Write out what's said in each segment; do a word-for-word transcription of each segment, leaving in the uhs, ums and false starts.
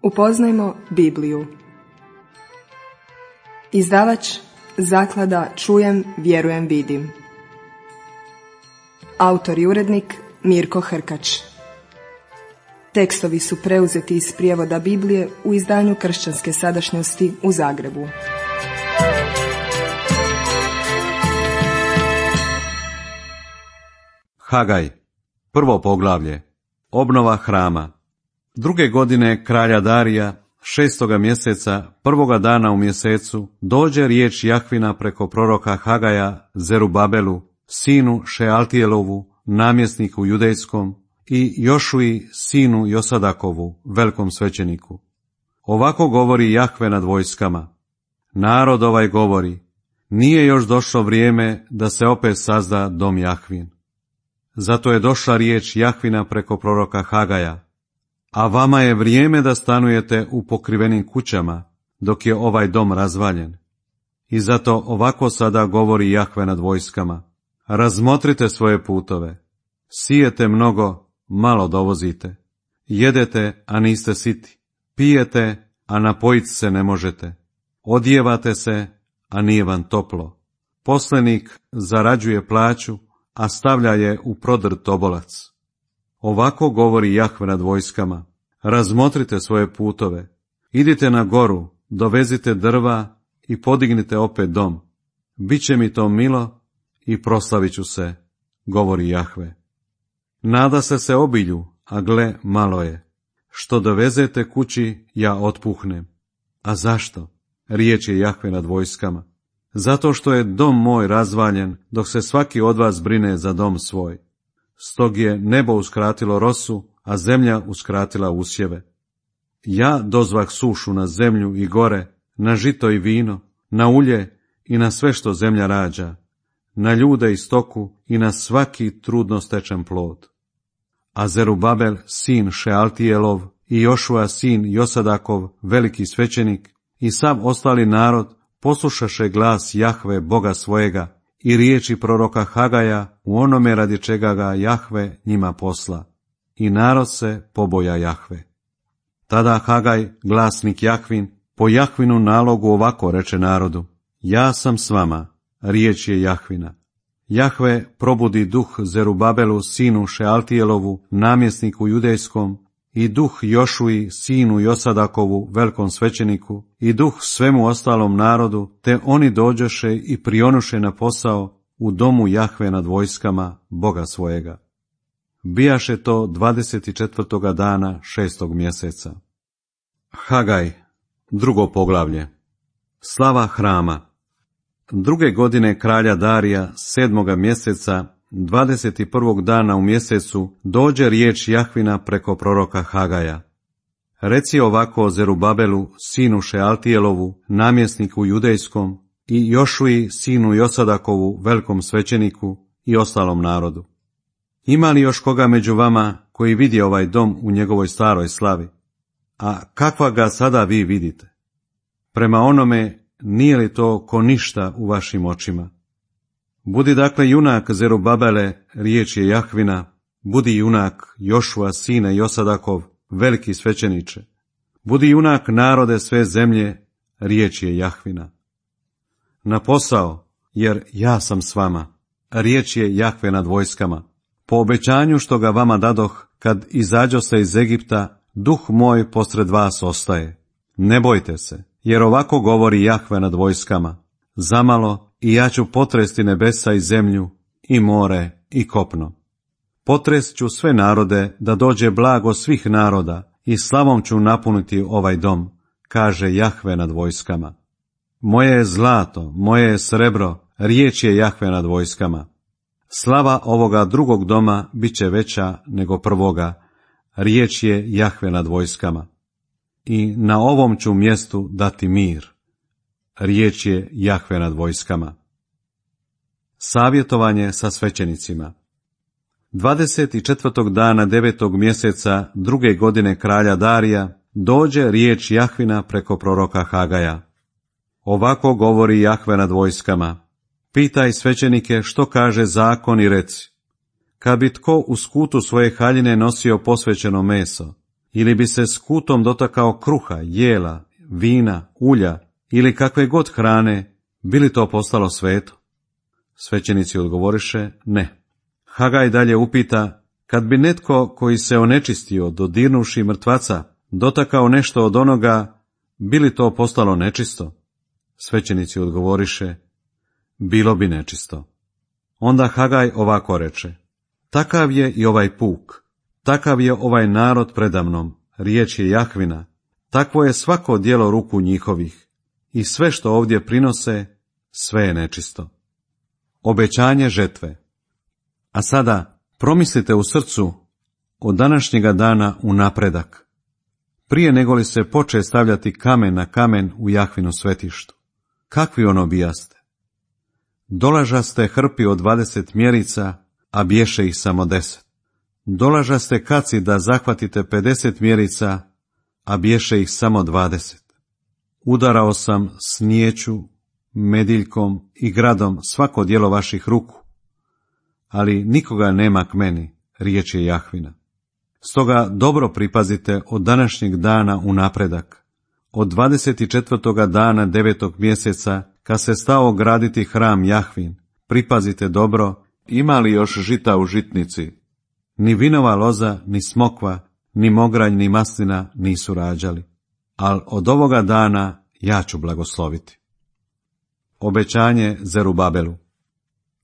Upoznajmo Bibliju. Izdavač Zaklada Čujem, vjerujem, vidim. Autor i urednik Mirko Hrkač. Tekstovi su preuzeti iz prijevoda Biblije u izdanju Kršćanske sadašnjosti u Zagrebu. Hagaj, prvo poglavlje. Obnova hrama. Druge godine kralja Darija, šestoga mjeseca, prvoga dana u mjesecu, dođe riječ Jahvina preko proroka Hagaja Zerubabelu, sinu Šealtijelovu, namjesniku judejskom, i Jošuji, sinu Josadakovu, velikom svećeniku. Ovako govori Jahve nad vojskama. Narod ovaj govori, nije još došlo vrijeme da se opet sazda dom Jahvin. Zato je došla riječ Jahvina preko proroka Hagaja. A vama je vrijeme da stanujete u pokrivenim kućama, dok je ovaj dom razvaljen. I zato ovako sada govori Jahve nad vojskama. Razmotrite svoje putove. Sijete mnogo, malo dovozite. Jedete, a niste siti. Pijete, a napojit se ne možete. Odjevate se, a nije vam toplo. Poslenik zarađuje plaću, a stavlja je u prodrt obolac. Ovako govori Jahve nad vojskama. Razmotrite svoje putove. Idite na goru, dovezite drva i podignite opet dom. Biće mi to milo i proslavit ću se, govori Jahve. Nada se se obilju, a gle, malo je. Što dovezete kući, ja otpuhnem. A zašto? Riječ je Jahve nad vojskama. Zato što je dom moj razvaljen, dok se svaki od vas brine za dom svoj. Stog je nebo uskratilo rosu, a zemlja uskratila usjeve. Ja dozvah sušu na zemlju i gore, na žito i vino, na ulje i na sve što zemlja rađa, na ljude i stoku i na svaki trudno stečen plod. A Zerubabel, sin Šealtijelov, i Jošua, sin Josadakov, veliki svećenik, i sav ostali narod poslušaše glas Jahve, Boga svojega, i riječi proroka Hagaja u onome radi čega ga Jahve njima posla. I narod se poboja Jahve. Tada Hagaj, glasnik Jahvin, po Jahvinu nalogu ovako reče narodu. Ja sam s vama, riječ je Jahvina. Jahve probudi duh Zerubabelu, sinu Šealtijelovu, namjesniku judejskom, i duh Jošuji, sinu Josadakovu, velikom svećeniku, i duh svemu ostalom narodu, te oni dođoše i prionuše na posao u domu Jahve nad vojskama, Boga svojega. Bijaše to dvadeset četvrtoga dana šestog mjeseca. Hagaj, drugo poglavlje. Slava hrama. Druge godine kralja Darija, sedmoga mjeseca, dvadeset prvog dana u mjesecu, dođe riječ Jahvina preko proroka Hagaja. Reci ovako Zerubabelu, sinu Šealtijelovu, namjesniku judejskom, i Jošuji, sinu Josadakovu, velikom svećeniku, i ostalom narodu. Ima li još koga među vama koji vidi ovaj dom u njegovoj staroj slavi? A kakva ga sada vi vidite? Prema onome, nije li to ko ništa u vašim očima? Budi dakle junak Zerubabele, riječ je Jahvina, budi junak Jošua, sine Josadakov, veliki svećeniče. Budi junak narode sve zemlje, riječ je Jahvina. Na posao, jer ja sam s vama, riječ je Jahve nad vojskama. Po obećanju što ga vama dadoh, kad izađo se iz Egipta, duh moj posred vas ostaje. Ne bojte se, jer ovako govori Jahve nad vojskama. Zamalo i ja ću potresti nebesa i zemlju, i more, i kopno. Potrest ću sve narode da dođe blago svih naroda, i slavom ću napuniti ovaj dom, kaže Jahve nad vojskama. Moje je zlato, moje je srebro, riječ je Jahve nad vojskama. Slava ovoga drugog doma bit će veća nego prvoga, riječ je Jahve nad vojskama. I na ovom ću mjestu dati mir, riječ je Jahve nad vojskama. Savjetovanje sa svećenicima. dvadeset četvrtog dana devetog mjeseca druge godine kralja Darija dođe riječ Jahvina preko proroka Hagaja. Ovako govori Jahve nad vojskama. Pitaj svećenike što kaže zakon i reci. Kad bi tko u skutu svoje haljine nosio posvećeno meso, ili bi se skutom dotakao kruha, jela, vina, ulja ili kakve god hrane, bi li to postalo sveto? Svećenici odgovoriše, ne. Hagaj dalje upita, kad bi netko koji se onečistio, dodirnuši mrtvaca, dotakao nešto od onoga, bi li to postalo nečisto? Svećenici odgovoriše, bilo bi nečisto. Onda Hagaj ovako reče, takav je i ovaj puk, takav je ovaj narod predamnom, riječ je Jahvina, takvo je svako djelo ruku njihovih, i sve što ovdje prinose, sve je nečisto. Obećanje žetve. A sada promislite u srcu od današnjega dana u napredak, prije nego li se poče stavljati kamen na kamen u Jahvinu svetištu. Kakvi ono bijaste? Dolažaste hrpi od dvadeset mjerica, a bješe ih samo deset. Dolažaste kaci da zahvatite pedeset mjerica, a bješe ih samo dvadeset. Udarao sam snijeću, mediljkom i gradom svako djelo vaših ruku, ali nikoga nema k meni, riječ je Jahvina. Stoga dobro pripazite od današnjeg dana u napredak, od dvadeset četvrtoga dana devetog mjeseca, kad se stao graditi hram Jahvin, pripazite dobro, ima li još žita u žitnici. Ni vinova loza, ni smokva, ni mogranj, ni maslina nisu rađali, ali od ovoga dana ja ću blagosloviti. Obećanje Zerubabelu.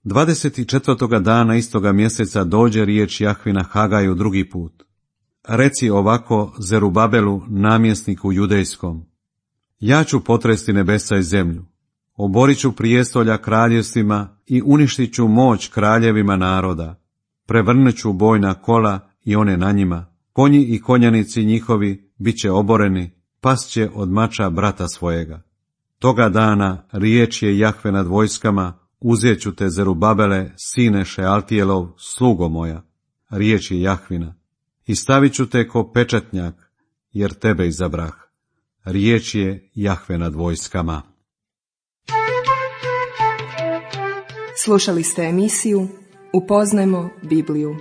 dvadeset četvrtoga dana istoga mjeseca dođe riječ Jahvina Hagaju drugi put. Reci ovako Zerubabelu, namjesniku judejskom, ja ću potresti nebesa i zemlju, oborit ću prijestolja kraljevstvima i uništit ću moć kraljevima naroda, prevrnut ću bojna kola i one na njima, konji i konjanici njihovi bit će oboreni, past će od mača brata svojega. Toga dana riječ je Jahve nad vojskama, uzet ću te Zerubabele, sine Šealtijelov, slugo moja, riječ je Jahvina, i stavit ću te ko pečatnjak, jer tebe izabrah, riječ je Jahve nad vojskama. Slušali ste emisiju Upoznajmo Bibliju.